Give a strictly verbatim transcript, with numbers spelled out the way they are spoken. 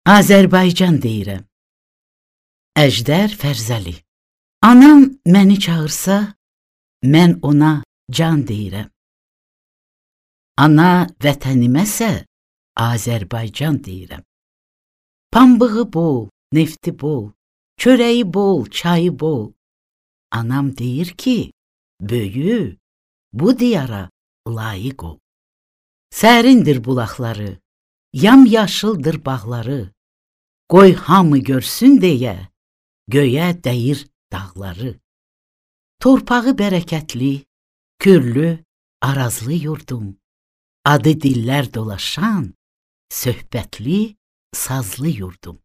Azərbaycan deyirəm. Əjdər Fərzəli. Anam məni çağırsa, mən ona can deyirəm. Ana vətəniməsə, Azərbaycan deyirəm. Pambığı bol, nefti bol, çörəyi bol, çayı bol. Anam deyir ki, böyü, bu diyara layiq ol. Sərindir bulaqları, yamyaşıldır bağları. Qoy hamı görsün deyə, göyə dəyir dağları. Torpağı bərəkətli, kürlü, arazlı yurdum. Adı dillər dolaşan, söhbətli, sazlı yurdum.